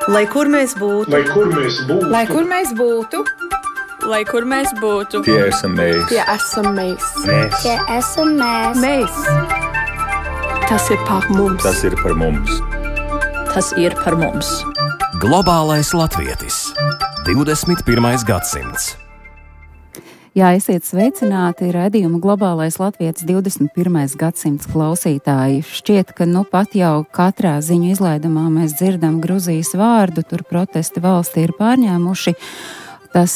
Lai kur mēs būtu, lai kur mēs būtu, lai kur mēs būtu, lai kur mēs būtu, tie esam mēs. tie esam mēs. Tie esam mēs. Mēs. Tas ir par mums. Tas ir par mums. tas ir par mums. Globālais latvietis. 21. gadsimts. Jā, esiet sveicināti raidījuma Globālais latvietis 21. gadsimts klausītāji. Šķiet, ka nu pat jau katrā ziņu izlaidumā mēs dzirdam Gruzijas vārdu, tur protesti valstī ir pārņēmuši. Tas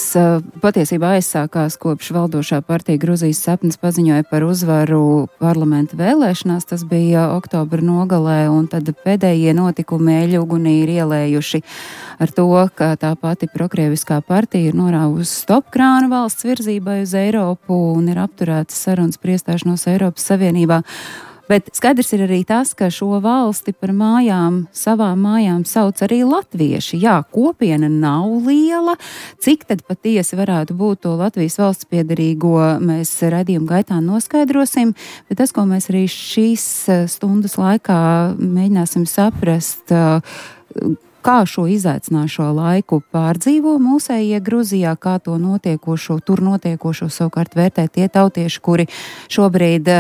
patiesībā aizsākās kopš valdošā partija Gruzijas sapnis paziņoja par uzvaru parlamenta vēlēšanās. Tas bija oktobra nogalē, un tad pēdējie notikumi eļugunī ir ielējuši ar to, ka tā pati prokrieviskā partija ir norāvusi stopkrānu valsts virzībai uz Eiropu un ir apturētas sarunas par iestāšanos Eiropas Savienībā. Bet skaidrs ir arī tas, ka šo valsti par mājām, savām mājām sauc arī latvieši. Jā, kopiena nav liela. Cik tad patiesi varētu būt to Latvijas valsts piederīgo, mēs raidījuma gaitā noskaidrosim. Bet tas, ko mēs arī šīs stundas laikā mēģināsim saprast, kā šo izaicināšo laiku pārdzīvo mūsējie Gruzijā, kā to tur notiekošo savukārt vērtē tie tautieši, kuri šobrīd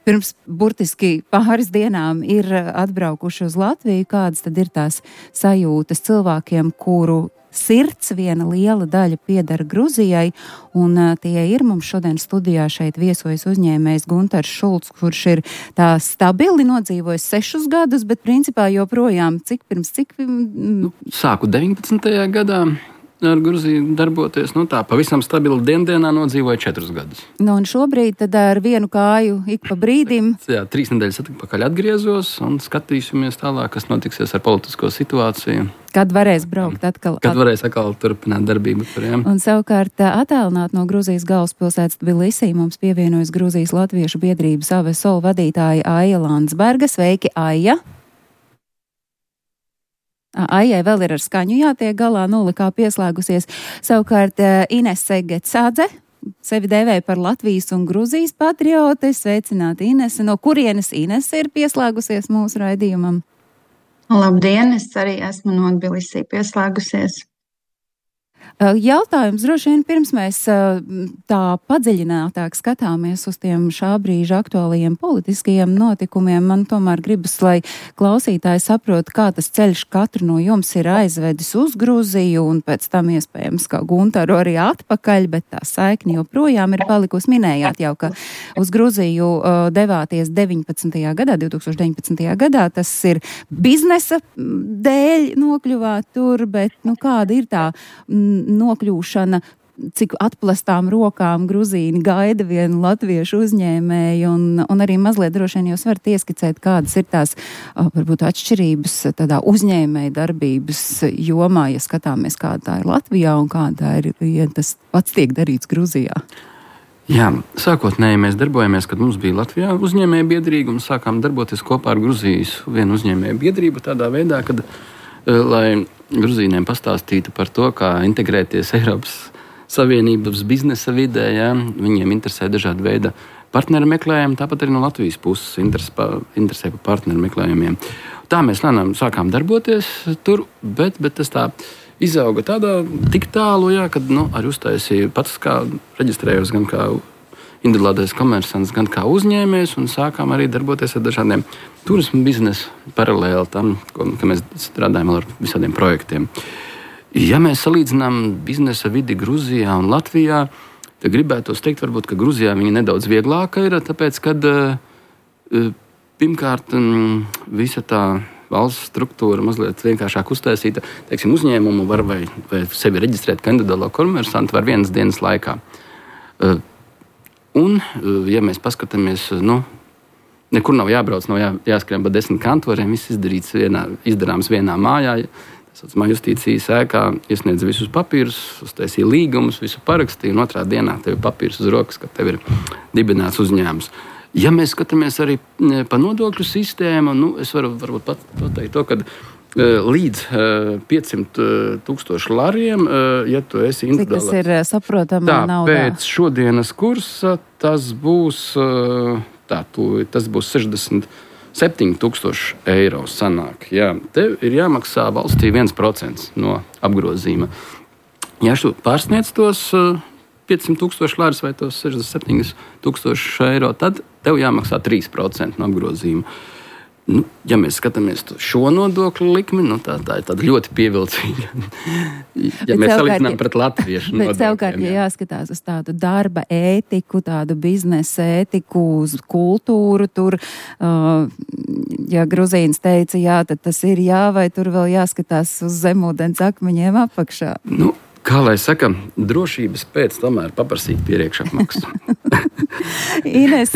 pirms burtiski pāris dienām ir atbraukuši uz Latviju. Kādas tad ir tās sajūtas cilvēkiem, kuru sirds viena liela daļa pieder Gruzijai, un tie ir mums šodien studijā šeit viesojas uzņēmējs Guntars Šulcs, kurš ir tā stabili nodzīvojis 6 gadus, bet principā joprojām Sāku 19. gadā ar Gruziju darboties, tā pavisam stabili dienā nodzīvoja 4 gadus. Un šobrīd tad ar vienu kāju ik pa brīdim. Jā, 3 nedēļas atpakaļ atgriezos un skatīsimies tālāk, kas notiksies ar politisko situāciju. Kad varēs braukt atkal? Kad varēs atkal turpināt darbību tur, jā. Un savukārt attālināt no Gruzijas galvaspilsētas Tbilisī mums pievienojas Gruzijas Latviešu biedrības AVSOL vadītāja Aija Landsberga. Sveiki, Aija! Aijai vēl ir ar skaņu jātiek galā, kā pieslēgusies. Savukārt Inese Gecādze sevi dēvēja par Latvijas un Gruzijas patriote. Sveicināti, Inese. No kurienes Inese ir pieslēgusies mūsu raidījumam? Labdien, es arī esmu no Tbilisī pieslēgusies. Jautājums droši vien pirms mēs tā padziļinātāk skatāmies uz tiem šā brīža aktuālajiem politiskajiem notikumiem. Man tomēr gribas, lai klausītāji saprot, kā tas ceļš katru no jums ir aizvedis uz Gruziju un pēc tam iespējams kā Guntaru arī atpakaļ, bet tā saikni joprojām ir palikusi. Minējāt jau, ka uz Gruziju devāties 2019. gadā. Tas ir biznesa dēļ nokļuvāt tur, bet kāda ir tā nokļūšana, cik atplastām rokām gruzīni gaida vienu latviešu uzņēmēju, un arī mazliet droši vien jūs varat ieskicēt, kādas ir tās varbūt atšķirības tādā uzņēmēja darbības jomā, ja skatāmies, kāda tā ir Latvijā un kāda ir, ja tas pats tiek darīts Gruzijā. Jā, sākotnēji mēs darbojamies, kad mums bija Latvijā uzņēmēja biedrība un sākām darboties kopā ar Gruzijas vienu uzņēmēja biedrību tādā veidā, kad, lai Gruzīniem pastāstītu par to, kā integrēties Eiropas Savienības biznesa vidē. Ja? Viņiem interesē dažādi veidi partneru meklējumi, tāpat arī no Latvijas puses interesē par partneru meklējumiem. Tā mēs sākām darboties tur, bet tas tā izauga tik tālu, ja, kad arī uztaisīju pats, kā reģistrējos gan kā individuālais komersants, gan kā uzņēmējs, un sākām arī darboties ar dažādiem turismu biznesu paralēli tam, ka mēs strādājam ar visādiem projektiem. Ja mēs salīdzinām biznesa vidi Gruzijā un Latvijā, tad gribētos teikt, varbūt, ka Gruzijā viņa nedaudz vieglāka ir, tāpēc, kad pirmkārt visa tā valsts struktūra mazliet vienkāršāk uztaisīta, teiksim, uzņēmumu var vai sevi reģistrēt kā individuālo komersantu var 1 dienas laikā. Un, ja mēs paskatāmies, nekur nav jābrauc, nav jāskrien pa 10 kantoriem, viss izdarāms vienā mājā. Tā saucamā justīcijas ēkā iesniedz visus papīrus, uztaisīja līgumus, visu parakstīja, un otrā dienā tev ir papīrs uz rokas, ka tev ir dibināts uzņēmums. Ja mēs skatāmies arī pa nodokļu sistēmu, es varu varbūt pateikt to, ka līdz 500,000 lariem, ja tu esi individuāli. Cik tas ir saprotama naudā? Pēc šodienas kursa tas būs 60 7,000 eiro sanāk. Jā, tev ir jāmaksā valstī 1% no apgrozījuma. Ja tu pārsniedz tos 500,000 lārus vai tos 67,000 eiro, tad tev jāmaksā 3% no apgrozījuma. Nu, ja mēs skatāmies šo nodokļu likmi, tā ir tāda ļoti pievilcīga. Ja mēs salīdzinām pret latviešu nodokļiem. Bet savukārt, ja jāskatās uz tādu darba ētiku, tādu biznesa ētiku, uz kultūru, tur, ja Gruzīns teica jā, tad tas ir jā, vai tur vēl jāskatās uz zemūdens akmeņiem apakšā? Kā lai saka, drošības pēc tomēr paprasīt priekšapmaksu. Ines,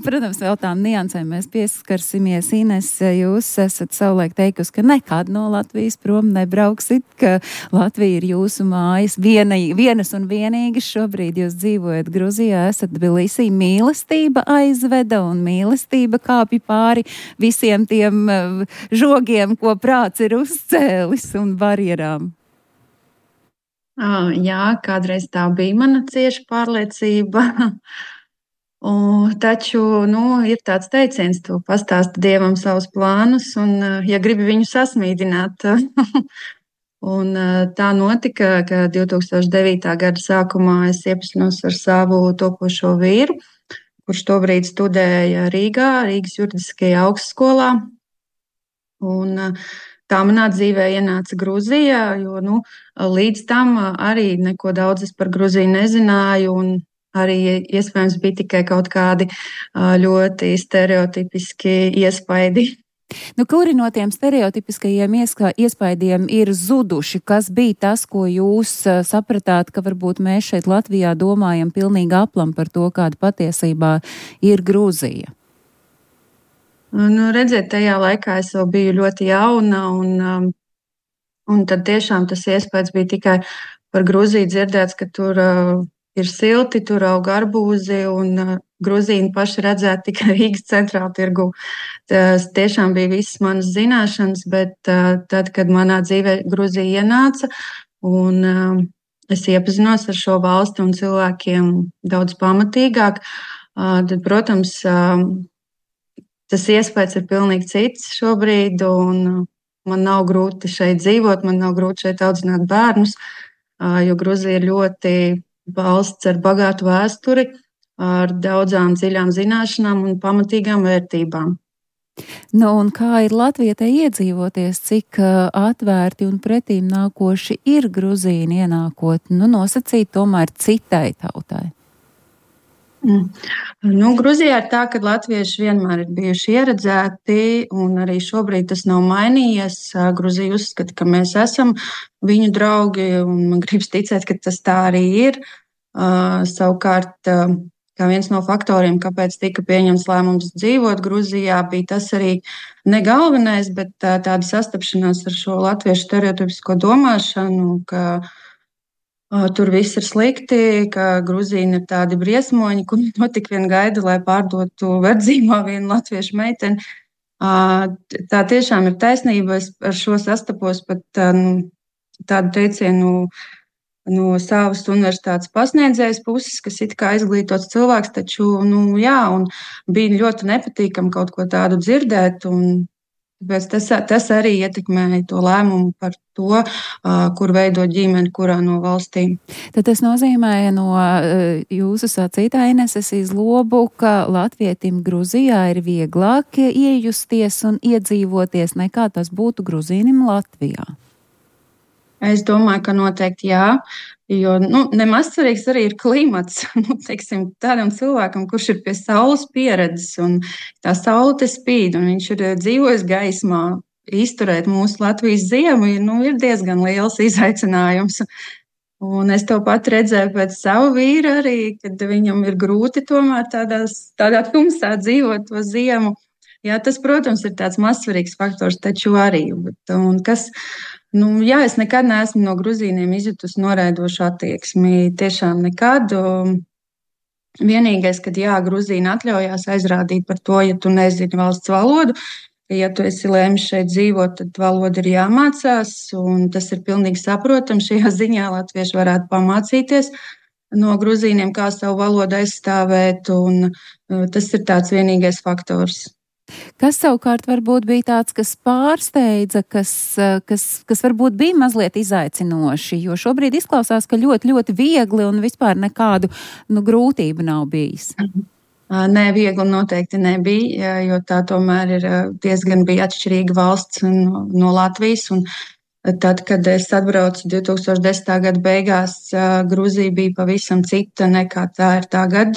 protams, vēl tām niansēm mēs pieskarsimies. Ines, jūs esat savulaik teikusi, ka nekad no Latvijas prom nebrauksit, ka Latvija ir jūsu mājas vienas un vienīgas. Šobrīd jūs dzīvojat Gruzijā, esat Tbilisī. Mīlestība aizveda un mīlestība kāpj pāri visiem tiem žogiem, ko prāts ir uzcēlis un barjerām. Jā, kādreiz tā bija mana cieša pārliecība. Taču ir tāds teiciens, tu pastāsti Dievam savus plānus, un ja gribi viņu sasmīdināt. Un tā notika, ka 2009. gada sākumā es iepazinos ar savu topošo vīru, kurš tobrīd studēja Rīgas juridiskajā augstskolā. Un tā manā dzīvē ienāca Gruzija, jo līdz tam arī neko daudz es par Gruziju nezināju, un arī iespējams bija tikai kaut kādi ļoti stereotipiski iespaidi. Kuri no tiem stereotipiskajiem iespaidiem ir zuduši? Kas bija tas, ko jūs sapratāt, ka varbūt mēs šeit Latvijā domājam pilnīgi aplam par to, kāda patiesībā ir Gruzija? Redziet, tajā laikā es vēl biju ļoti jauna, un tad tiešām tas iespējas bija tikai par Gruziju dzirdēts, ka tur ir silti, tur aug arbūzi, un Gruzīni paši redzēt tikai Rīgas centrāla tirgu. Tas tiešām bija visas manas zināšanas, bet tad, kad manā dzīvē Gruzija ienāca, un es iepazinos ar šo valsti un cilvēkiem daudz pamatīgāk, tad, protams, tas iespējas ir pilnīgi cits šobrīd, un man nav grūti šeit dzīvot, man nav grūti šeit audzināt bērnus, jo Gruzija ir ļoti valsts ar bagātu vēsturi, ar daudzām dziļām zināšanām un pamatīgām vērtībām. Un kā ir latvietē iedzīvoties, cik atvērti un pretīm nākoši ir Gruzīni ienākot, nosacīt tomēr citai tautai? Gruzijā ir tā, ka latvieši vienmēr ir bijuši ieredzēti, un arī šobrīd tas nav mainījies. Gruzija uzskata, ka mēs esam viņu draugi, un man gribas ticēt, ka tas tā arī ir. Savukārt, kā viens no faktoriem, kāpēc tika pieņemts lēmums dzīvot Gruzijā, bija tas arī ne galvenais, bet tāda sastapšanās ar šo latviešu stereotipisko domāšanu, ka tur viss ir slikti, ka Gruzīni ir tādi briesmoņi, kur tik vien gaida, lai pārdotu verdzīmā vienu latviešu meiteni. Tā tiešām ir taisnība. Es ar šo sastapos pat tādu teicienu no savas universitātes pasniedzējas puses, kas it kā izglītots cilvēks, taču, jā, un bija ļoti nepatīkami kaut ko tādu dzirdēt, un tas arī ietekmēja to lēmumu par to, kur veidot ģimeni, kurā no valstīm. Tad tas nozīmē no jūsu sacītā, Ines, es izlobu, ka latvietim Gruzijā ir vieglāk iejusties un iedzīvoties nekā tas būtu Gruzīnim Latvijā. Es domāju, ka noteikti jā, jo nemaz svarīgs arī ir klimats. Teiksim, tādam cilvēkam, kurš ir pie saules pieredzes, un tā saule te spīd, un viņš ir dzīvojis gaismā, izturēt mūsu Latvijas ziemu, ir diezgan liels izaicinājums. Un es to pat redzēju pēc savu vīru arī, kad viņam ir grūti tomēr tādā tumsā dzīvot to ziemu. Jā, tas, protams, ir tāds mazsvarīgs faktors, taču arī. Jā, es nekad neesmu no Gruzīniem izjutusi noraidošu attieksmi. Tiešām nekad. Vienīgais, kad Gruzīni atļaujās aizrādīt par to, ja tu nezini valsts valodu, ja tu esi lēmis šeit dzīvot, tad valoda ir jāmācās, un tas ir pilnīgi saprotams. Šajā ziņā latvieši varētu pamācīties no Gruzīniem, kā savu valodu aizstāvēt, un tas ir tāds vienīgais faktors. Kas savukārt varbūt bija tāds, kas pārsteidza, kas varbūt bija mazliet izaicinoši, jo šobrīd izklausās, ka ļoti, ļoti viegli un vispār nekādu grūtību nav bijis? Nē, viegli noteikti nebija, jo tā tomēr ir diezgan bija atšķirīga valsts no Latvijas. Un tad, kad es atbraucu 2010. gada beigās, Gruzija bija pavisam cita nekā tā ir tagad.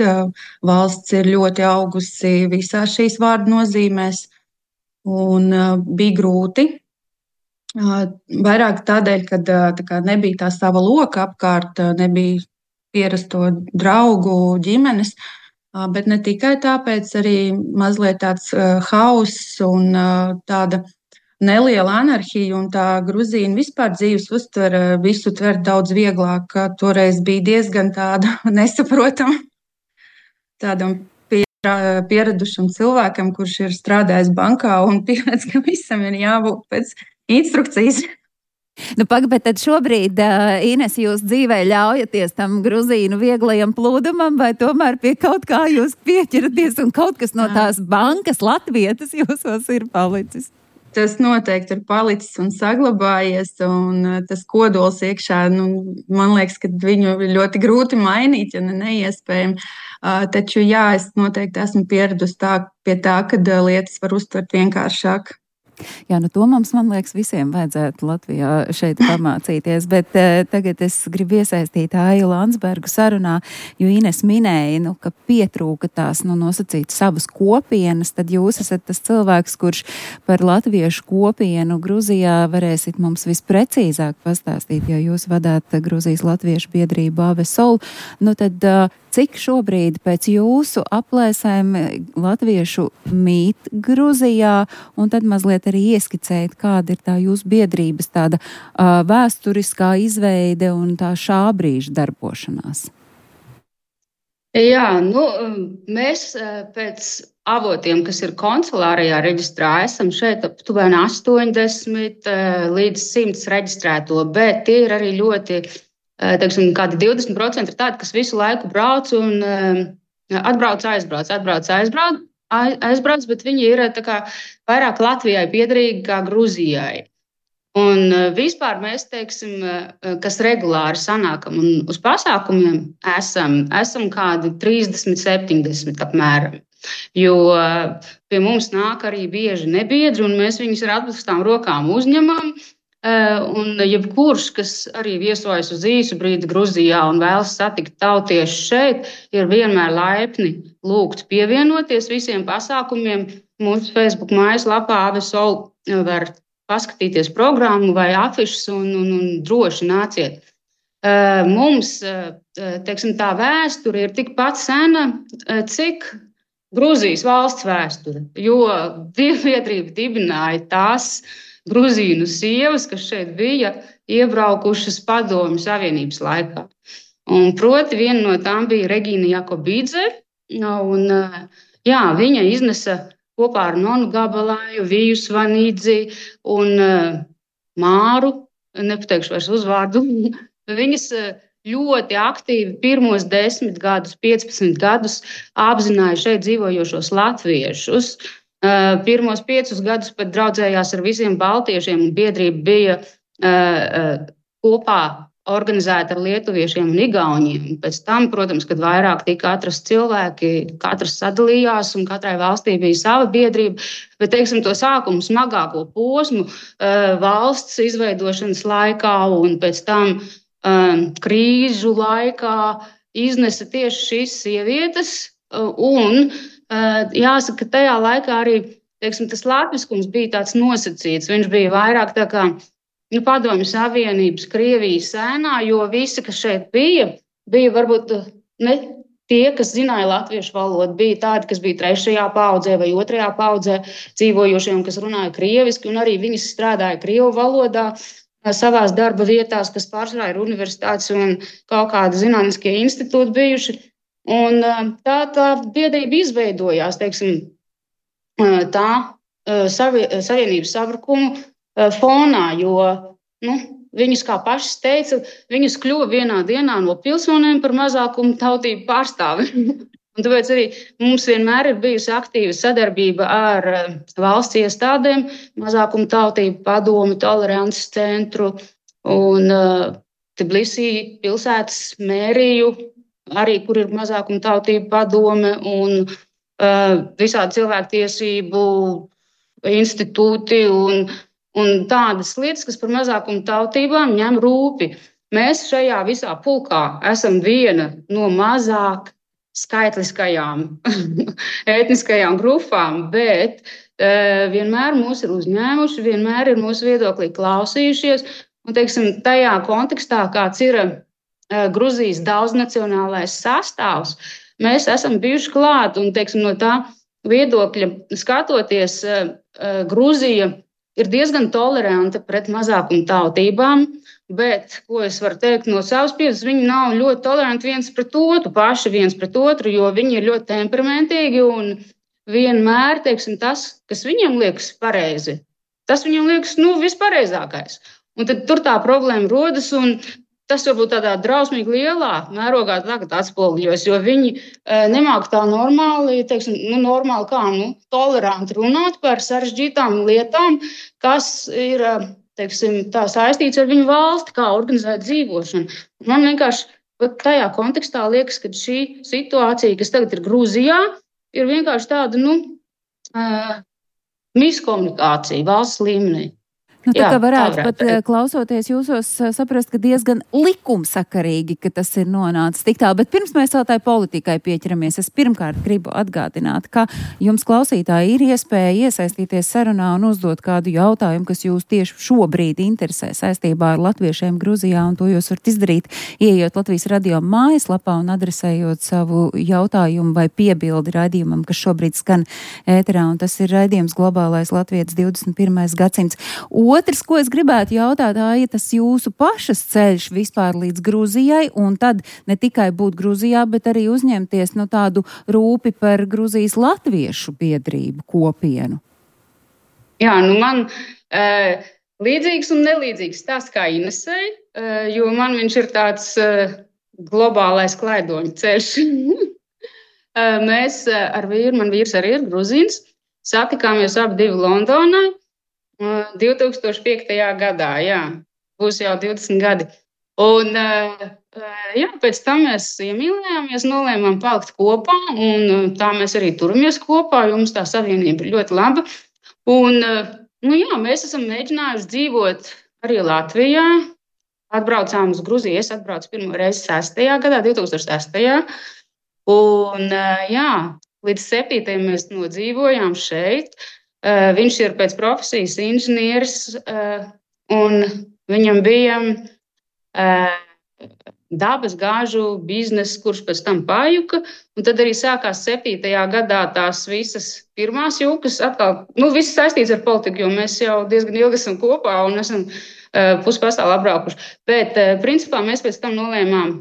Valsts ir ļoti augusi visās šīs vārdu nozīmēs un bija grūti. Vairāk tādēļ, ka nebija tā sava loka apkārt, nebija pierasto draugu ģimenes, bet ne tikai tāpēc, arī mazliet tāds hauss un tāda neliela anarhija, un tā Gruzīna vispār dzīves uztvere visu tver daudz vieglāk. Toreiz bija diezgan tāda nesaprotama tādam pieradušam cilvēkam, kurš ir strādājis bankā un pieredz, ka visam ir jābūt pēc instrukcijas. Bet tad šobrīd, Ines, jūs dzīvē ļaujaties tam Gruzīnu vieglajam plūdumam, vai tomēr pie kaut kā jūs pieķeraties un kaut kas no tās bankas latvietas jūsos ir palicis? Tas noteikti ir palicis un saglabājies, un tas kodols iekšā, man liekas, ka viņu ir ļoti grūti mainīt, ja neiespējami. Taču jā, es noteikti esmu pieradusi pie tā, ka lietas var uztvert vienkāršāk. Jā, to mums, man liekas, visiem vajadzētu Latvijā šeit pamācīties, bet tagad es gribu iesaistīt Aiju Landsbergu sarunā, jo Ines minēja, ka pietrūka tās, nosacīt savas kopienas, tad jūs esat tas cilvēks, kurš par latviešu kopienu Gruzijā varēsit mums visprecīzāk pastāstīt, jo jūs vadāt Gruzijas latviešu biedrību AVSOL, tad cik šobrīd pēc jūsu aplēsēm latviešu mīt Gruzijā, un tad mazliet arī ieskicēt, kāda ir tā jūsu biedrības tāda vēsturiskā izveide un tā šā brīža darbošanās? Jā, mēs pēc avotiem, kas ir konsulārajā reģistrā, esam šeit aptuveni 80 līdz 100 reģistrēto, bet tie ir arī ļoti, kādi 20% ir tādi, kas visu laiku brauc un atbrauc, aizbrauc, bet viņi ir vairāk Latvijai piederīgi kā Gruzijai. Un vispār mēs, kas regulāri sanākam un uz pasākumiem esam kādi 30-70 apmēram. Jo pie mums nāk arī bieži nebiedri, un mēs viņus ar atpūstām rokām uzņemam. Un jebkurš, kas arī viesojas uz īsu brīdi Gruzijā un vēlas satikt tautiešus šeit, ir vienmēr laipni lūgts pievienoties visiem pasākumiem. Mūsu Facebook mājaslapā AVSOL var paskatīties programmu vai afišas un droši nāciet. Mums, tā vēsture ir tikpat sena, cik Gruzijas valsts vēsture, jo dievbiedrība dibināja tās Gruzīnu sievas, kas šeit bija iebraukušas Padomju Savienības laikā. Un proti viena no tām bija Regīna Jakobīdze, un viņa iznesa kopā ar Nonu Gabalāju, Viju Svanīdzi un Māru, nepateikšu vairs uzvārdu, viņas ļoti aktīvi pirmos 10 gadus, 15 gadus apzināja šeit dzīvojošos latviešus. Pirmos 5 gadus pat draudzējās ar visiem baltiešiem, un biedrība bija kopā organizēta ar lietuviešiem un igauniem. Pēc tam, protams, kad vairāk tika atrasti cilvēki, katrs sadalījās un katrai valstī bija sava biedrība, bet, to sākumu smagāko posmu valsts izveidošanas laikā un pēc tam krīžu laikā iznesa tieši šīs sievietes, un jāsaka, ka tajā laikā arī tas latviskums bija tāds nosacīts. Viņš bija vairāk Padomju Savienības, Krievijas sēnā, jo visi, kas šeit bija varbūt ne tie, kas zināja latviešu valodu, bija tādi, kas bija 3. paudzē vai 2. paudzē dzīvojošiem, kas runāja krieviski, un arī viņi strādāja krievu valodā savās darba vietās, kas pārsvarā ir universitātes un kaut kādi zinātniskie institūti bijuši. Un tā biedrība izveidojās, tā savienības sabrukumu fonā, jo viņus, kā pašas teica, viņus kļuva vienā dienā no pilsoniem par mazākumu tautību pārstāvi. Un tāpēc arī mums vienmēr ir bijusi aktīva sadarbība ar valsts iestādēm, mazākumu tautību padomi, tolerances centru un Tbilisī pilsētas mēriju, arī kur ir mazākumu tautību padome un visādi cilvēktiesību institūti un tādas lietas, kas par mazākumu tautībām ņem rūpi. Mēs šajā visā pulkā esam viena no mazāk skaitliskajām etniskajām grupām, bet vienmēr mūs ir uzņēmuši, vienmēr ir mūsu viedoklī klausījušies. Un, teiksim, tajā kontekstā, kāds ir Gruzijas daudznacionālais sastāvs, mēs esam bijuši klāt. Un, teiksim, no tā viedokļa skatoties, Gruzija ir diezgan toleranta pret mazākumu tautībām. Bet, ko es varu teikt no savas pieredzes, viņi nav ļoti toleranti viens pret otru, paši viens pret otru, jo viņi ir ļoti temperamentīgi un vienmēr, teiksim, tas, kas viņiem liekas pareizi, tas viņiem liekas, vispareizākais. Un tad tur tā problēma rodas un tas varbūt tādā drausmīgi lielā mērogā tagad atspoguļojas, jo viņi nemāk tā normāli, teiksim, normāli kā, toleranti runāt par sarežģītām lietām, kas ir, teiksim, tā saistīts ar viņu valsti, kā organizēt dzīvošanu. Man vienkārši tajā kontekstā liekas, ka šī situācija, kas tagad ir Grūzijā, ir vienkārši tāda, miskomunikācija valsts līmenī. Tā kā varētu pat klausoties jūsos saprast, ka diezgan likumsakarīgi, ka tas ir nonācis tik tālu. Bet pirms mēs vēl tai politikai pieķeramies, es pirmkārt gribu atgādināt, ka jums klausītāji ir iespēja iesaistīties sarunā un uzdot kādu jautājumu, kas jūs tieši šobrīd interesē saistībā ar latviešiem Gruzijā, un to jūs varat izdarīt, ieejot Latvijas radio mājaslapā un adresējot savu jautājumu vai piebildi raidījumam, kas šobrīd skan ēterā, un tas ir raidījums Globālais Latvijas 21. gadsimts. Otrs, ko es gribētu jautāt, ir tas jūsu pašas ceļš vispār līdz Gruzijai, un tad ne tikai būt Gruzijā, bet arī uzņemties tādu rūpi par Gruzijas latviešu biedrību kopienu. Jā, man līdzīgs un nelīdzīgs stāsts kā Inesei, jo man viņš ir tāds globālais klaidoņu ceļš. Mēs ar vīru, man vīrs arī ir gruzīns, satikāmies abi Londonā. 2005. gadā, būs jau 20 gadi. Un pēc tam mēs iemīlējāmies, nolēmām palikt kopā, un tā mēs arī turamies kopā, jo mums tā savienība ir ļoti laba. Un, mēs esam mēģinājuši dzīvot arī Latvijā. Atbraucām uz Gruziju, es atbraucu pirmo reizi 6. gadā, 2006. Un, līdz 7. mēs nodzīvojām šeit. Viņš ir pēc profesijas inženieris, un viņam bija dabas gāžu bizness, kurš pēc tam pajuka. Un tad arī sākās 7. gadā tās visas pirmās jukas. Atkal, viss saistīts ar politiku, jo mēs jau diezgan ilgi esam kopā un esam pusi pasauli apbraukuši. Bet, principā, mēs pēc tam nolēmām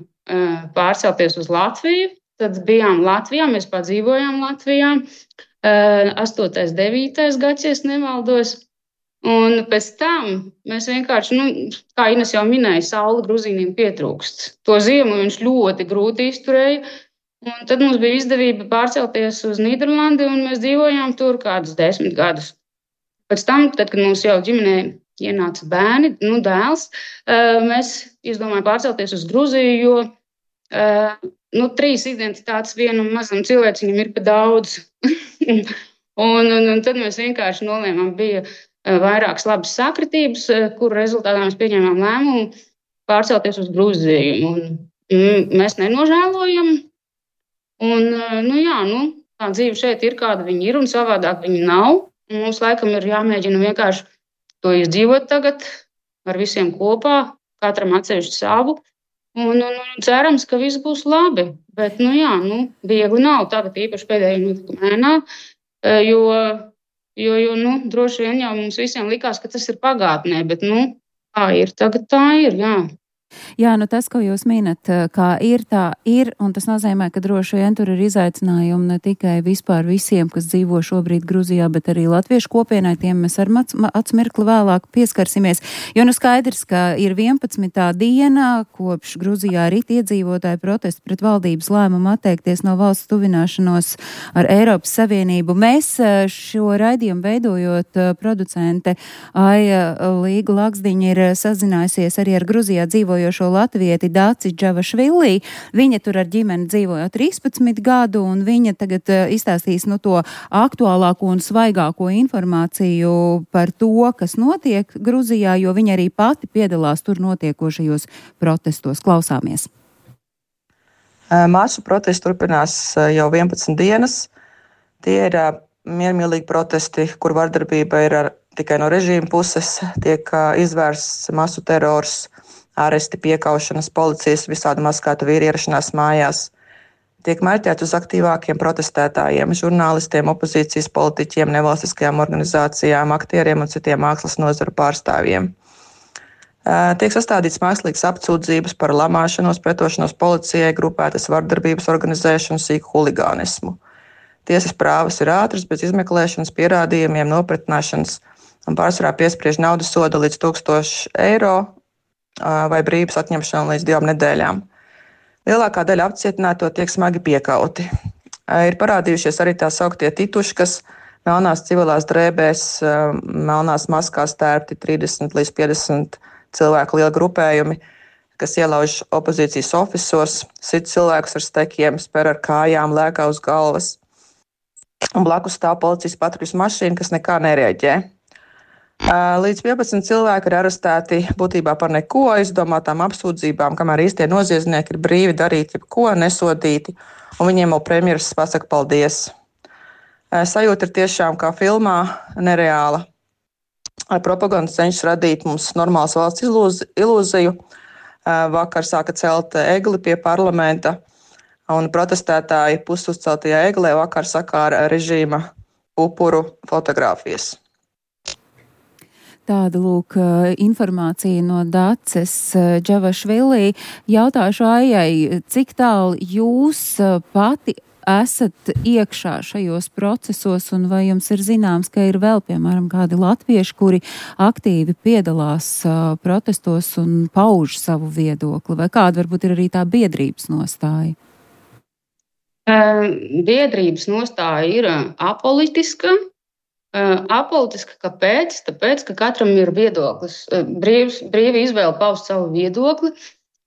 pārcelties uz Latviju. Tad bijām Latvijā, mēs padzīvojām Latvijā. 8. 9. gads, ja nemaldos. Un pēc tam mēs vienkārši, kā Ines jau minēja, saule Gruzīniem pietrūkst. To ziemu viņš ļoti grūti izturēja. Un tad mums bija izdevība pārcelties uz Nīderlandi, un mēs dzīvojām tur kādus 10 gadus. Pēc tam, tad, kad mums jau ģimenē ienāca bērni, dēls, mēs izdomājām pārcelties uz Gruziju, jo 3 identitātes vienam mazam cilvēciņam ir pa daudz. un tad mēs vienkārši nolēmām, bija vairākas labas sakritības, kuru rezultātā mēs pieņēmām lēmumu pārcelties uz Gruziju. Un mēs nenožēlojam. Un, tā dzīve šeit ir, kāda viņa ir, un savādāk viņa nav. Un mums laikam ir jāmēģina vienkārši to izdzīvot tagad ar visiem kopā, katram atsevišķi savu. Un cerams, ka viss būs labi. Bet, viegli nav tagad īpaši pēdējā notikuma ēnā, jo droši vien jau mums visiem likās, ka tas ir pagātnē, bet, tā ir, tagad tā ir, jā. Jā, nu tas, ko jūs minat, kā ir, tā ir, un tas nozīmē, ka droši vien tur ir izaicinājumi ne tikai vispār visiem, kas dzīvo šobrīd Gruzijā, bet arī latviešu kopienai, tiem mēs ar atsmirkli vēlāk pieskarsimies. Jo nu skaidrs, ka ir 11. diena, kopš Gruzijā rit iedzīvotāju protestu pret valdības lēmumu atteikties no valsts tuvināšanos ar Eiropas Savienību. Mēs šo raidījumu veidojot, producente Aija Līga Laksdiņa ir sazinājusies arī ar Gruzijā dzīvojošo latvieti Daci Džavašvili. Viņa tur ar ģimeni dzīvoja 13 gadu, un viņa tagad izstāstīs to aktuālāko un svaigāko informāciju par to, kas notiek Gruzijā, jo viņa arī pati piedalās tur notiekošajos protestos. Klausāmies. Masu protesti turpinās jau 11 dienas. Tie ir miermīlīgi protesti, kur vardarbība ir tikai no režīma puses, tiek izvērsts masu terors, āresti, piekaušanas, policijas, visādi maskāta vīri ierašanās mājās. Tiek mērķēti uz aktīvākiem protestētājiem, žurnālistiem, opozīcijas politiķiem, nevalstiskajām organizācijām, aktieriem un citiem mākslas nozaru pārstāvjiem. Tiek sastādīts mākslīgas apsūdzības par lamāšanos, pretošanos policijai, grupētas vardarbības organizēšanu, sīku huligānismu. Tiesas prāvas ir ātras, bez izmeklēšanas, pierādījumiem, nopratināšanas un pārsvarā piespriež naudas sodu līdz 1000 eiro vai brīvības atņemšanu līdz 2 nedēļām. Lielākā daļa apcietināto tiek smagi piekauti. Ir parādījušies arī tā sauktie tituškas, melnās civilās drēbēs, melnās maskās tērpti 30 līdz 50 cilvēku lieli grupējumi, kas ielauž opozīcijas ofisos, sit cilvēkus ar stekiem, spēr ar kājām, lēkā uz galvas. Un blakus stāv policijas patruļas mašīna, kas nekā nereaģē. Līdz 11 cilvēki ir arestēti būtībā par neko, izdomātām apsūdzībām, kamēr īstie noziedznieki ir brīvi darīt jebko, nesodīti, un viņiem vēl premjeras pasaka paldies. Sajūta ir tiešām kā filmā nereāla. Propaganda cenšas radīt mums normālas valsts ilūziju. Vakar sāka celt egli pie parlamenta, un protestētāji pusuzceltajā eglē vakar sakāra režīma upuru fotogrāfijas. Tāda lūk informācija no Daces Džavašvili. Jautāšu Aijai, cik tālu jūs pati esat iekšā šajos procesos, un vai jums ir zināms, ka ir vēl, piemēram, kādi latvieši, kuri aktīvi piedalās protestos un pauž savu viedokli, vai kāda varbūt ir arī tā biedrības nostāja? Biedrības nostāja ir apolitiska. Apolitiska kāpēc? Tāpēc, ka katram ir viedoklis, brīva izvēle paust savu viedokli.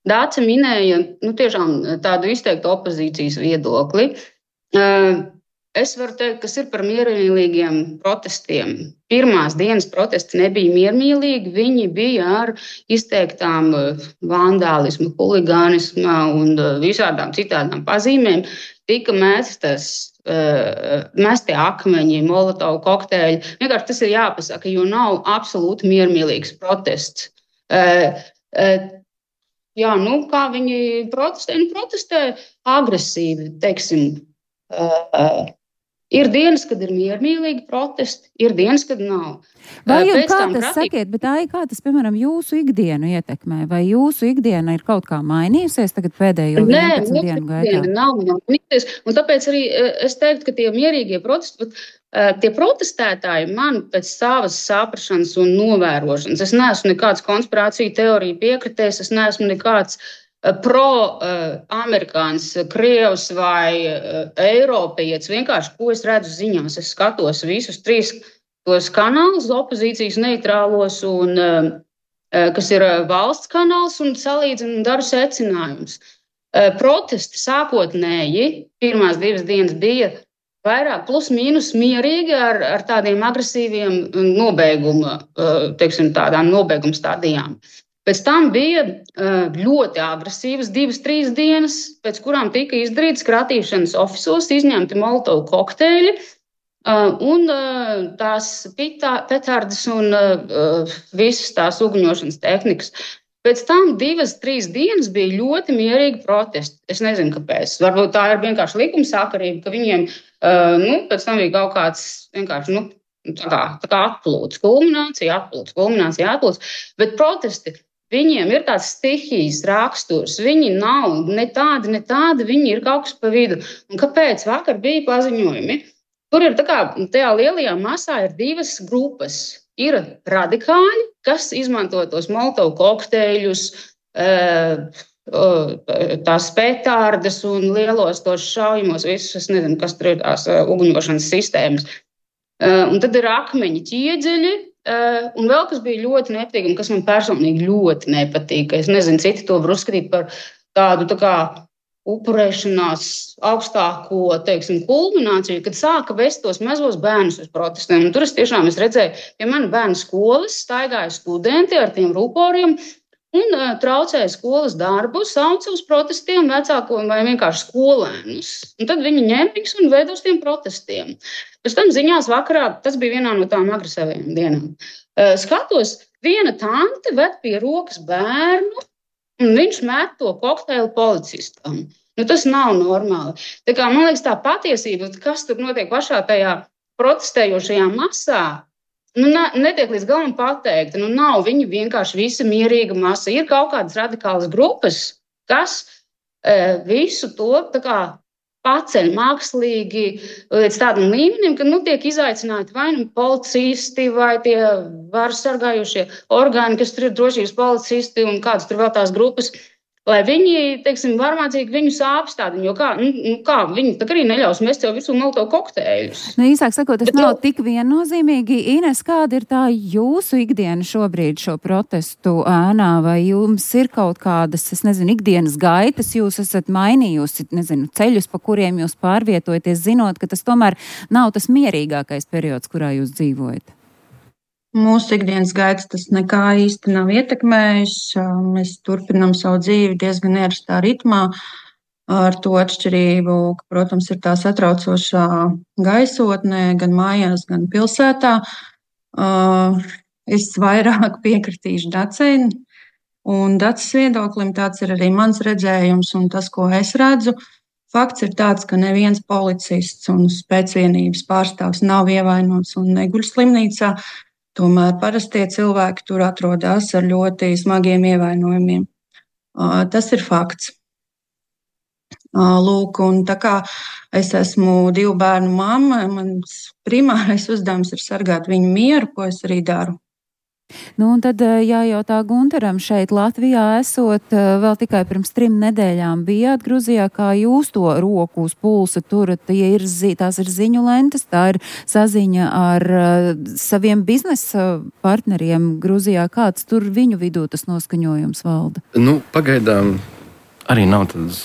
Dāce minēja tiešām tādu izteiktu opozīcijas viedokli. Es varu teikt, kas ir par miermīlīgiem protestiem. Pirmās dienas protesti nebija miermīlīgi, viņi bija ar izteiktām vandālismu, huligānismu un visādām citādām pazīmēm. Tika mesti akmeņi, molotovu kokteļi. Vienkārši tas ir jāpasaka, jo nav absolūti miermīlīgs protests. Jā, kā viņi protestē? Viņi protestē agresīvi, teiksim. Ir dienas, kad ir miermīlīgi protesti, ir dienas, kad nav. Vai jums kā tas sakiet, bet kā tas, piemēram, jūsu ikdienu ietekmē? Vai jūsu ikdiena ir kaut kā mainījusies tagad pēdējo 11 dienu gaitā? Nē, nav mainījusies. Un tāpēc arī es teiktu, ka tie mierīgie protesti, tie protestētāji man pēc savas saprašanas un novērošanas, es neesmu nekāds konspirāciju teoriju piekritējis, es neesmu nekāds pro-amerikāns, krievs vai eiropietis. Vienkārši, ko es redzu ziņās, es skatos visus 3 tos kanālus, opozīcijas neitrālos, un, kas ir valsts kanāls, un salīdzinu un daru secinājumus. Protesti sākotnēji, pirmās 2 dienas bija vairāk plus mīnus mierīgi ar tādiem agresīviem tādām nobeiguma stadijām. Pēc tam bija ļoti agresīvas 2-3 dienas, pēc kurām tika izdarītas kratīšanas ofisos, izņemti molotovu kokteļi un tās petardes un visas tās uguņošanas tehnikas. Pēc tam 2-3 dienas bija ļoti mierīgi protesti. Es nezinu, kāpēc. Varbūt tā ir vienkārši likumsakarība, ka viņiem pēc tam bija kaut kāds vienkārši tā kā atplūds, kulminācija, atplūds. Bet protesti viņiem ir tāds stihijas raksturs. Viņi nav ne tādi, viņi ir kaut kas pa vidu. Un kāpēc? Vakar bija paziņojumi. Tur ir tajā lielajā masā ir divas grupas. Ir radikāļi, kas izmanto tos Molotovu kokteļus, tās petārdas un lielos tos šaujamos visus, es nezinu, kas tur ir tās uguņošanas sistēmas. Un tad ir akmeņi ķieģeļi, un vēl kas bija ļoti nepatīkami, kas man personīgi ļoti nepatīk. Es nezinu, citi to var uzskatīt par tādu upurēšanās augstāko, kulmināciju, kad sāka vest tos mazos bērnus uz protestiem. Un tur es redzēju, pie mana bērna skolas staigāja studenti ar tiem ruporiem un traucēja skolas darbu, sauca uz protestiem vecāko vai vienkārši skolēnus. Un tad viņi ņēma viņus un veda uz tiem protestiem. Pēc tam ziņās vakarā, tas bija vienā no tām agresīvajām dienām, skatos, viena tante ved pie rokas bērnu, un viņš met to kokteili policistam. Tas nav normāli. Man liekas, tā patiesība, kas tur notiek pašā tajā protestējošajā masā, netiek līdz galam pateikta. Nav viņi vienkārši visa mierīga masa. Ir kaut kādas radikālas grupas, kas visu to paceļ mākslīgi līdz tādam līmenim, ka tiek izaicināti vai policisti, vai tie varas sargājošie orgāni, kas tur ir drošības policisti un kādas tur vēl tās grupas, lai viņi, varmācīgi viņus apstādina, jo kā viņi arī neļaus mest jau visu Molotovu kokteļus. Īsāk sakot, tas nav tik viennozīmīgi. Ines, kāda ir tā jūsu ikdiena šobrīd šo protestu ēnā, vai jums ir kaut kādas, ikdienas gaitas, jūs esat mainījusi, ceļus, pa kuriem jūs pārvietojaties, zinot, ka tas tomēr nav tas mierīgākais periods, kurā jūs dzīvojat? Mūsu ikdienas gaitas tas nekā īsti nav ietekmējis. Mēs turpinām savu dzīvi diezgan ierastā ritmā, ar to atšķirību, ka, protams, ir tā satraucošā gaisotne gan mājās, gan pilsētā. Es vairāk piekritīšu Dacei, un Daces viedoklim tāds ir arī mans redzējums un tas, ko es redzu. Fakts ir tāds, ka neviens policists un spēcvienības pārstāvs nav ievainots un neguļ slimnīcā. Tomēr parastie cilvēki tur atrodas ar ļoti smagiem ievainojumiem. Tas ir fakts. Lūk, un tā kā es esmu 2 bērnu mamma, mans primārais uzdevums ir sargāt viņu mieru, ko es arī daru. Un tad jājautā Gunteram, šeit Latvijā esot, vēl tikai pirms 3 nedēļām bijāt Gruzijā, kā jūs to roku uz pulsa turat, tās ir ziņu lentes, tā ir saziņa ar saviem biznesa partneriem Gruzijā, kāds tur viņu vidū tas noskaņojums valda? Pagaidām arī nav tādas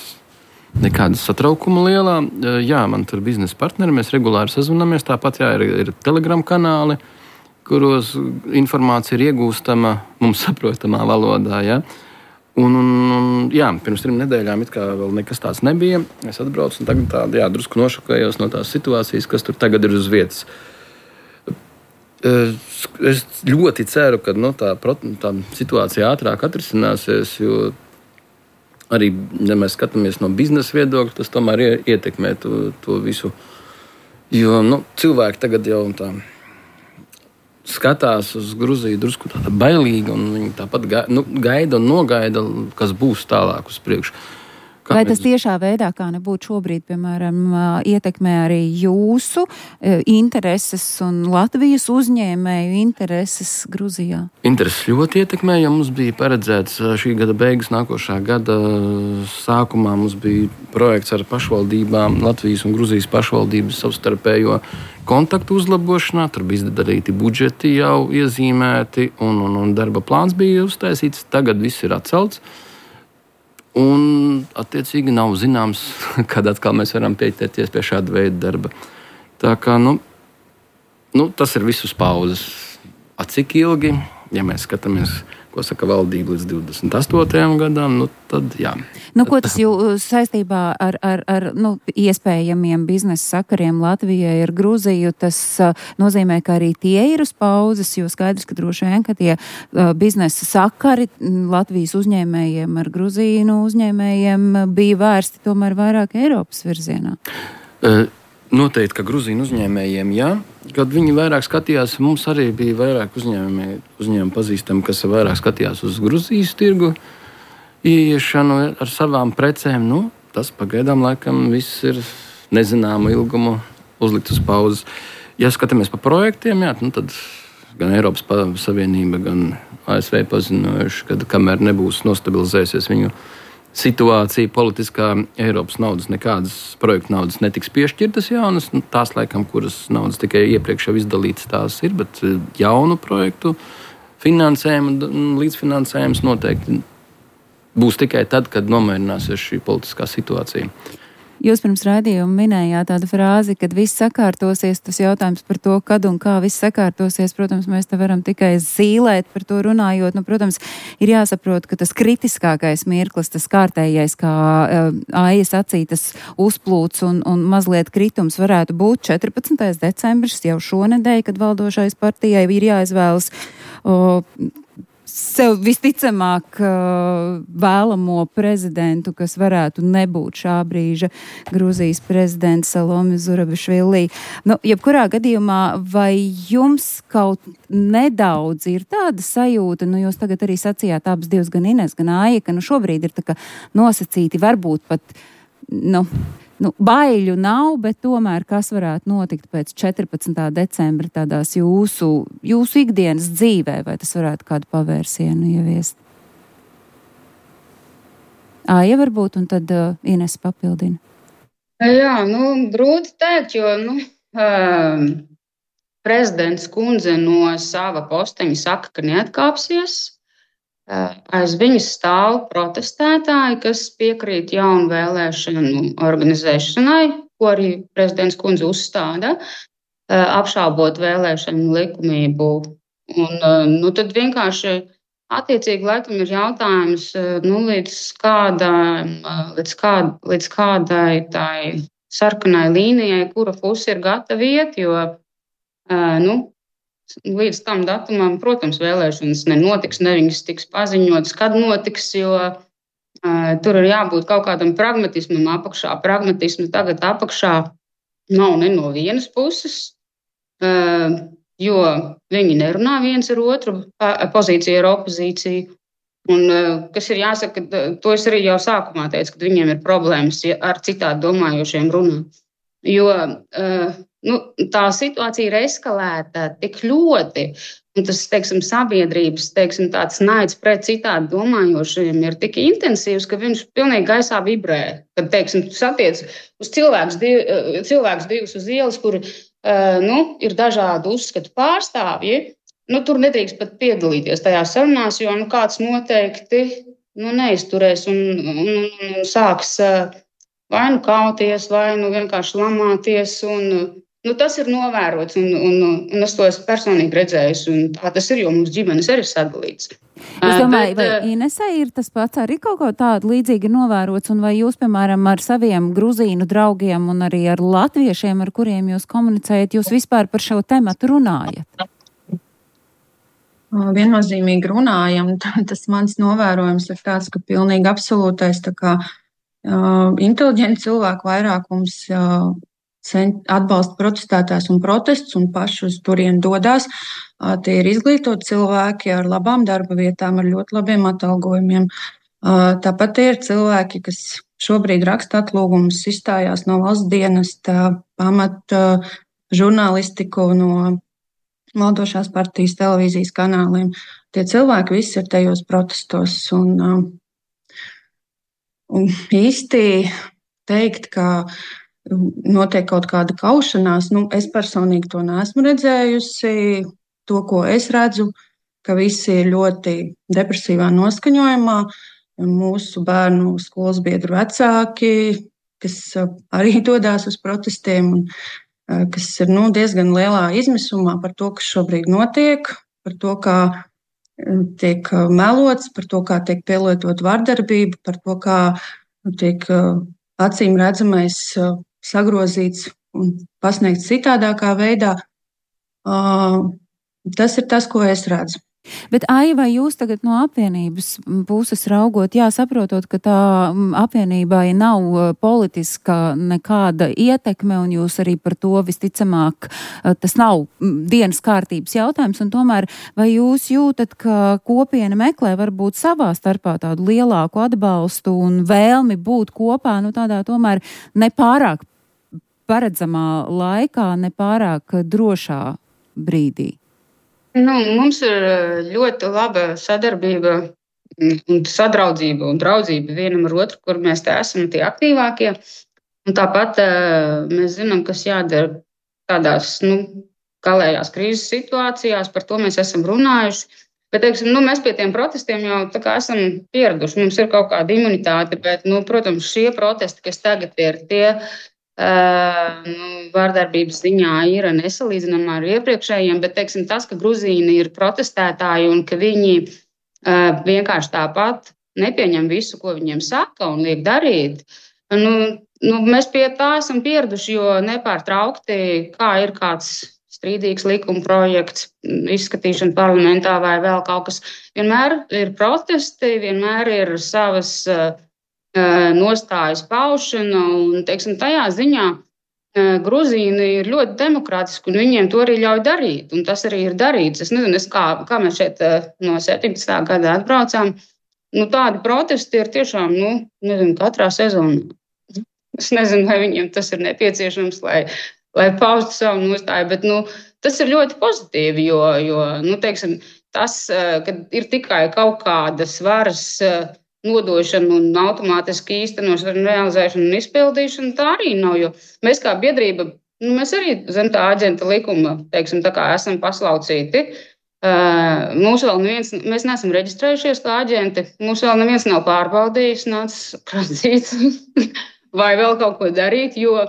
nekādas satraukuma lielā. Jā, man tur biznesa partneri, mēs regulāri sazvanamies, tāpat ir Telegram kanāli, kuros informācija ir iegūstama mums saprotamā valodā. Ja? Un, pirms 3 nedēļām it kā vēl nekas tāds nebija. Es atbraucu un tagad drusku nošokējos no tās situācijas, kas tur tagad ir uz vietas. Es ļoti ceru, ka tā situācija ātrāk atrisināsies, jo arī, ja mēs skatāmies no biznesa viedokļa, tas tomēr ietekmē to visu. Jo cilvēki tagad jau tā skatās uz Gruziju drusku tāda bailīga, un viņi tāpat gaida un nogaida, kas būs tālāk uz priekšu. Vai tas tiešā veidā, kā nebūtu šobrīd, piemēram, ietekmē arī jūsu intereses un Latvijas uzņēmēju intereses Gruzijā? Intereses ļoti ietekmē, jo mums bija paredzēts šī gada beigas, nākošā gada sākumā mums bija projekts ar pašvaldībām, Latvijas un Gruzijas pašvaldības savstarpējo kontaktu uzlabošanā. Tur bija izdarīti budžeti jau iezīmēti un darba plāns bija uztaisīts. Tagad viss ir atcelts. Un, attiecīgi, nav zināms, kad atkal mēs varam pieķerties pie šāda veida darba. Tā kā, tas ir viss uz pauzes. Cik ilgi, ja mēs skatāmies, ko saka valdība līdz 28. gadam, tad jā. Ko tas saistībā ar iespējamiem biznesa sakariem Latvijai ar Gruziju, tas nozīmē, ka arī tie ir uz pauzes, jo skaidrs, ka droši vien, ka tie biznesa sakari Latvijas uzņēmējiem ar Gruziju uzņēmējiem bija vērsti tomēr vairāk Eiropas virzienā. Noteikti, ka Grūzīnu uzņēmējiem, jā, kad viņi vairāk skatījās, mums arī bija vairāk uzņēmumi pazīstami, kas vairāk skatījās uz Grūzijas tirgu, ieiešanu ar savām precēm. Nu, tas pagaidām laikam viss ir nezināmu ilgumu uzlikt uz pauzes. Ja skatāmies pa projektiem, jā, nu tad gan Eiropas Savienība, gan ASV paziņojuši, ka kamēr nebūs nostabilizējusies viņu situācija politiskā, Eiropas naudas, nekādas projektu naudas netiks piešķirtas jaunas. Nu, tās, laikam, kuras naudas tikai iepriekš jau izdalītas, tās ir, bet jaunu projektu finansējumu un līdzfinansējums noteikti būs tikai tad, kad nomierināsies šī politiskā situācija. Jūs pirms raidījuma minējāt tādu frāzi, kad viss sakārtosies, tas jautājums par to, kad un kā viss sakārtosies, protams, mēs te varam tikai zīlēt par to runājot. Nu, protams, ir jāsaprot, ka tas kritiskākais mirklis, tas kārtējais, kā Aija sacīja, tas uzplūds un mazliet kritums varētu būt 14. decembris jau šonedēļ, kad valdošais partijai ir jāizvēlas sev visticamāk vēlamo prezidentu, kas varētu nebūt šā brīža Grūzijas prezidents Salome Zurabišvili. Nu, jebkurā gadījumā, vai jums kaut nedaudz ir tāda sajūta, nu jūs tagad arī sacījāt abas divas, gan Ines, gan Aija, ka nu šobrīd ir tā kā nosacīti, varbūt pat, baiļu nav, bet tomēr kas varētu notikt pēc 14. decembra tādās jūsu ikdienas dzīvē, vai tas varētu kādu pavērsienu ieviest? Aija varbūt, un tad Ines papildina. Jā, grūti teikt, jo prezidents kundze no sava posteņa saka, ka neatkāpsies. Aiz viņas stāv protestētāji, kas piekrīt jaunu vēlēšanu organizēšanai, ko arī prezidents kundze uzstāda, apšaubot vēlēšanu likumību. Un tad vienkārši attiecīgi laikam ir jautājums, līdz kādai tai sarkanai līnijai, kura puse ir gatava iet, jo līdz tam datumam, protams, vēlēšanas nenotiks, ne viņas tiks paziņotas, kad notiks, jo tur ir jābūt kaut kādam pragmatismam apakšā. Pragmatismu tagad apakšā nav ne no vienas puses, jo viņi nerunā viens ar otru, pozīcija ar opozīciju. Un, kas ir jāsaka, to es arī jau sākumā teicu, ka viņiem ir problēmas ar citādi domājošiem runāt. Jo tā situācija ir eskalēta tik ļoti, un tas, sabiedrības, tāds naids pret citādi domājošiem ir tik intensīvs, ka viņš pilnīgi gaisā vibrē. Kad, satiec uz cilvēkus divus uz ielas, kuri, ir dažādu uzskatu pārstāvji, tur nedrīkst pat piedalīties tajās sarunās, jo, kāds noteikti, neizturēs un sāks vai kauties, vai vienkārši lamāties, un tas ir novērots, un es to esmu personīgi redzējis, un tā tas ir, jo mums ģimenes arī sadalīts. Es domāju, vai Inesai ir tas pats arī kaut ko tādu līdzīgi novērots, un vai jūs, piemēram, ar saviem grūzīnu draugiem un arī ar latviešiem, ar kuriem jūs komunicējat, jūs vispār par šo tematu runājat? Viennozīmīgi runājam, tas mans novērojums ir tāds, ka pilnīgi absolūtais inteliģenti cilvēku vairākums atbalsta protestētājs un protests un paši uz turieni dodās. Tie ir izglītoti cilvēki ar labām darba vietām, ar ļoti labiem atalgojumiem. Tāpat tie ir cilvēki, kas šobrīd raksta atlūgumus, izstājās no valsts dienesta, pamat žurnālistiku no valdošās partijas televīzijas kanāliem. Tie cilvēki visi ir tajos protestos. Un īsti teikt, ka notiek kaut kāda kaušanās, es personīgi to neesmu redzējusi. To, ko es redzu, ka visi ir ļoti depresīvā noskaņojumā. Mūsu bērnu skolas biedru vecāki, kas arī dodās uz protestiem, un kas ir diezgan lielā izmisumā par to, kas šobrīd notiek, par to, kā tiek melots, par to, kā tiek pielietot vardarbība, par to, kā tiek acīm redzamais sagrozīts un pasniegts citādākā veidā. Tas ir tas, ko es redzu. Bet, Aija, vai jūs tagad no apvienības puses raugot, saprotot, ka tā apvienībai nav politiska nekāda ietekme, un jūs arī par to visticamāk, tas nav dienas kārtības jautājums, un tomēr vai jūs jūtat, ka kopiena meklē varbūt savā starpā tādu lielāku atbalstu un vēlmi būt kopā, tādā tomēr nepārāk paredzamā laikā, nepārāk drošā brīdī? Mums ir ļoti laba sadarbība un sadraudzība un draudzība vienam ar otru, kur mēs te esam tie aktīvākie. Un tāpat mēs zinām, kas jādara tādās galējās krīzes situācijās, par to mēs esam runājuši. Bet, teiksim, mēs pie tiem protestiem jau tā kā esam pieraduši. Mums ir kaut kāda imunitāte, bet, protams, šie protesti, kas tagad ir tie, vārdarbības ziņā ir nesalīdzinām ar iepriekšējiem, bet teiksim, tas, ka Gruzīni ir protestētāji un ka viņi vienkārši tāpat nepieņem visu, ko viņiem saka un liek darīt, mēs pie tā esam pieraduši, jo nepārtraukti, kā ir kāds strīdīgs likuma projekts, izskatīšana parlamentā vai vēl kaut kas, vienmēr ir protesti, vienmēr ir savas nostājas paušana, un, teiksim, tajā ziņā Gruzīni ir ļoti demokrātiski, un viņiem to arī ļauj darīt, un tas arī ir darīts. Es nezinu, kā mēs šeit no 17. gada atbraucām, tādi protesti ir tiešām, katrā sezonā. Es nezinu, vai viņiem tas ir nepieciešams, lai paustu savu nostāju, bet, tas ir ļoti pozitīvi, jo, teiksim, tas, kad ir tikai kaut kādas varas nodošana un automātiski īstenošana, realizēšana un izpildīšana, tā arī nav, jo mēs kā biedrība, mēs arī zem tā aģenta likuma, teiksim, tā kā esam paslaucīti. Mūs vēl neviens, mēs neesam reģistrējušies kā aģenti, mūs vēl neviens nav pārbaudījis, nācis prasīt vai vēl kaut ko darīt, jo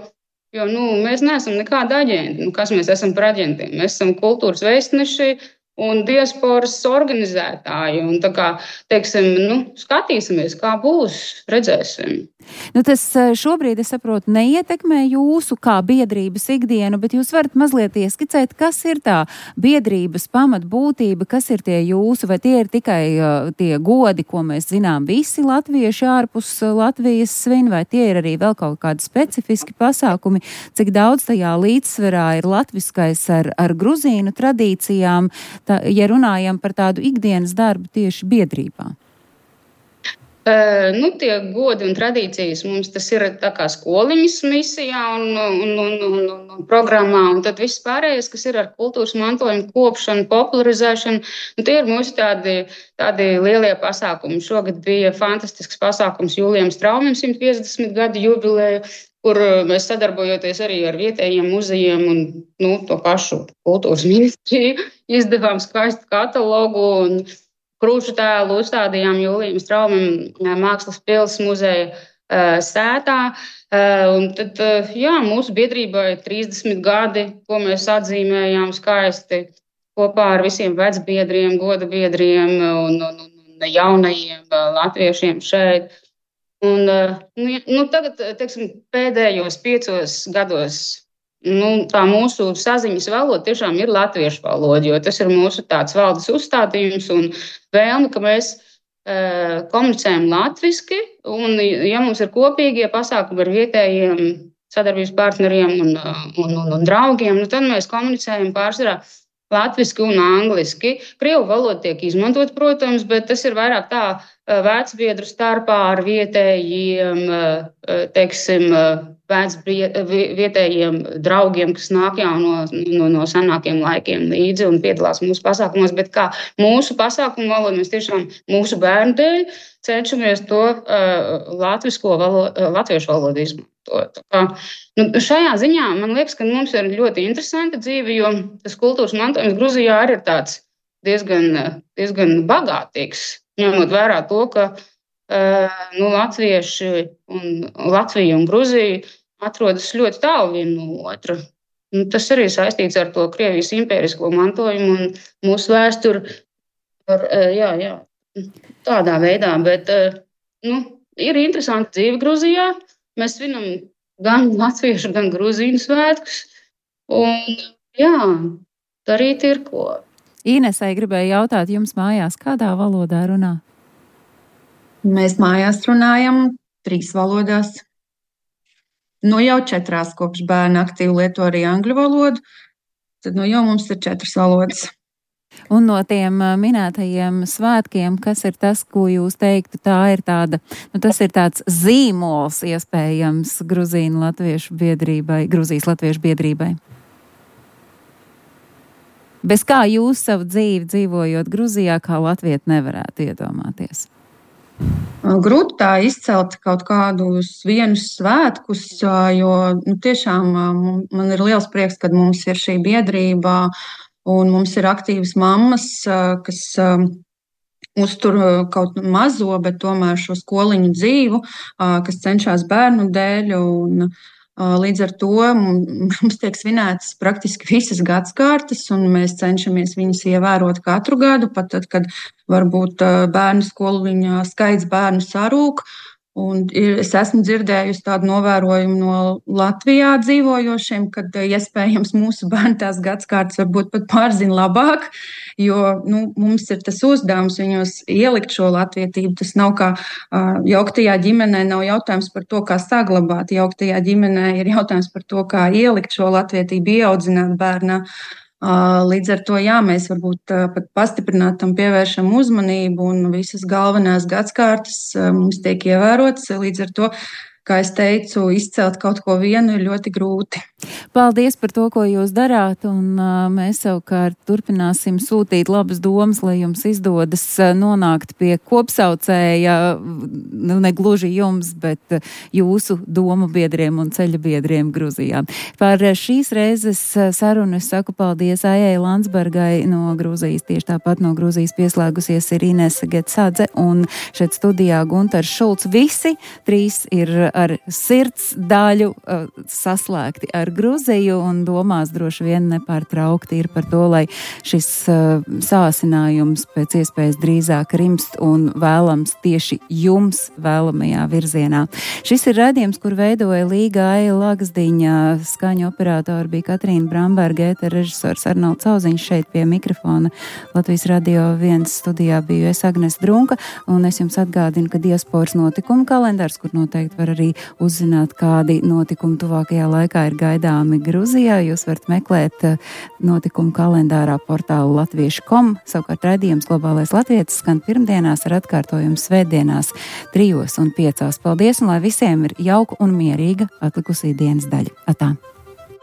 mēs neesam nekādi aģenti. Kas mēs esam par aģentiem? Mēs esam kultūras vēstneši un diasporas organizētāji. Un tā kā, teiksim, skatīsimies, kā būs, redzēsim. Tas šobrīd, es saprotu, neietekmē jūsu kā biedrības ikdienu, bet jūs varat mazliet ieskicēt, kas ir tā biedrības pamatbūtība, kas ir tie jūsu, vai tie ir tikai tie godi, ko mēs zinām visi latvieši ārpus Latvijas svin, vai tie ir arī vēl kaut kādi specifiski pasākumi, cik daudz tajā līdzsverā ir latviskais ar gruzīnu tradīcijām, ja runājam par tādu ikdienas darbu tieši biedrībā? Tie godi un tradīcijas mums tas ir tā kā skoliņas misijā un programmā, un tad viss pārējais, kas ir ar kultūras mantojumu kopšanu, popularizēšanu, tie ir mūsu tādi lielie pasākumi. Šogad bija fantastisks pasākums Julijam Straumim 150 gadu jubileju, kur mēs sadarbojoties arī ar vietējiem muzejiem un to pašu kultūras ministriju izdevām skaistu katalogu un krūšu tēlu uzstādījām Julijam Straumim Mākslas pils muzeja sētā. Un tad, mūsu biedrībai 30 gadi, ko mēs atzīmējām skaisti kopā ar visiem vecbiedriem, godabiedriem un jaunajiem latviešiem šeit. Un, tagad, teiksim, pēdējos 5 gados tā mūsu saziņas valoda tiešām ir latviešu valoda, jo tas ir mūsu tāds valdes uzstādījums un vēlme, ka mēs komunicējam latviski, un ja mums ir kopīgie pasākumi ar vietējiem sadarbības partneriem un draugiem, tad mēs komunicējam pārsvarā latviski un angliski. Krievu valoda tiek izmantot, protams, bet tas ir vairāk tā vecbiedru starpā ar vietējiem, teiksim, vietējiem draugiem, kas nāk jau no senākiem laikiem līdzi un piedalās mūsu pasākumos, bet kā mūsu pasākumu valodu mēs tiešām mūsu bērnu dēļ cenšamies to latviešu valodu izmantot. Šajā ziņā man liekas, ka mums ir ļoti interesanta dzīve, jo tas kultūras mantojums Gruzijā arī ir tāds diezgan bagātīgs, ņemot vērā to, ka latvieši un Latvija un Gruzija atrodas ļoti tālu viena no otra. Tas arī saistīts ar to Krievijas impērisko mantojumu un mūsu vēsturi tādā veidā. Bet ir interesanti dzīve Gruzijā. Mēs svinam gan latviešu, gan gruzīnu svētkus. Un darīt ir ko. Inesai gribēju jautāt, jums mājās kādā valodā runā? Mēs mājās runājam 3 valodās. Nu jau 4, kopš bērni aktīvi lieto arī angļu valodu, tad jau mums ir 4 valodas. Un no tiem minētajiem svētkiem, kas ir tas, ko jūs teiktu, tā ir tāda, tas ir tāds zīmols iespējams Gruzijas latviešu biedrībai? Bez kā jūs savu dzīvi dzīvojot Gruzijā, kā latvieti nevarētu iedomāties? Grūti tā izcelt kaut kādus vienus svētkus, jo tiešām man ir liels prieks, kad mums ir šī biedrība un mums ir aktīvas mammas, kas uztur kaut mazo, bet tomēr šo skoliņu dzīvu, kas cenšas bērnu dēļ. Līdz ar to mums tiek svinētas praktiski visas gadsimtas, un mēs cenšamies viņus ievērot katru gadu, pat tad, kad varbūt bērnu skoliņā skaits bērnu sarūk. Un es esmu dzirdējusi tādu novērojumu no Latvijā dzīvojošiem, kad iespējams mūsu bērni tās gadsimtas varbūt pat pārzina labāk, jo mums ir tas uzdevums viņos ielikt šo latvietību. Tas nav kā jauktajā ģimenē, nav jautājums par to, kā saglabāt. Jauktajā ģimenē ir jautājums par to, kā ielikt šo latvietību, ieaudzināt bērnā. Līdz ar to, mēs varbūt pat pastiprināt tam pievēršam uzmanību, un visas galvenās gadsimtas mums tiek ievērotas. Līdz ar to, kā es teicu, izcelt kaut ko vienu ir ļoti grūti. Paldies par to, ko jūs darāt, un mēs savukārt turpināsim sūtīt labas domas, lai jums izdodas nonākt pie kopsaucēja, ne gluži jums, bet jūsu domu biedriem un ceļa biedriem Gruzijā. Par šīs reizes sarunu es saku paldies Aijai Landsbergai no Gruzijas, tieši tāpat no Gruzijas pieslēgusies ir Inese Getsadze un šeit studijā Guntars Šulcs. Visi 3 ir ar sirds daļu saslēgti ar Gruziju un domās droši vien nepārtraukti ir par to, lai šis sāsinājums pēc iespējas drīzāk rimst un vēlams tieši jums vēlamajā virzienā. Šis ir raidījums, kur veidoja Līga Aija Lagzdiņa, skaņu operatori bija Katrīna Bramberga, režisors Arnolds Auziņš šeit pie mikrofona. Latvijas Radio 1 studijā biju es Agnes Drunka, un es jums atgādinu, ka diasporas notikumu kalendārs, kur noteikti var arī uzzināt, kādi notikumi tuvākajā laikā ir gaidāmi Gruzijā. Jūs varat meklēt notikumu kalendārā portālu latviešu.com. Savukārt raidījums Globālais latvietis skan pirmdienās ar atkārtojumu svētdienās 3 un 5. Paldies, un lai visiem ir jauka un mierīga atlikusī dienas daļa. Atā!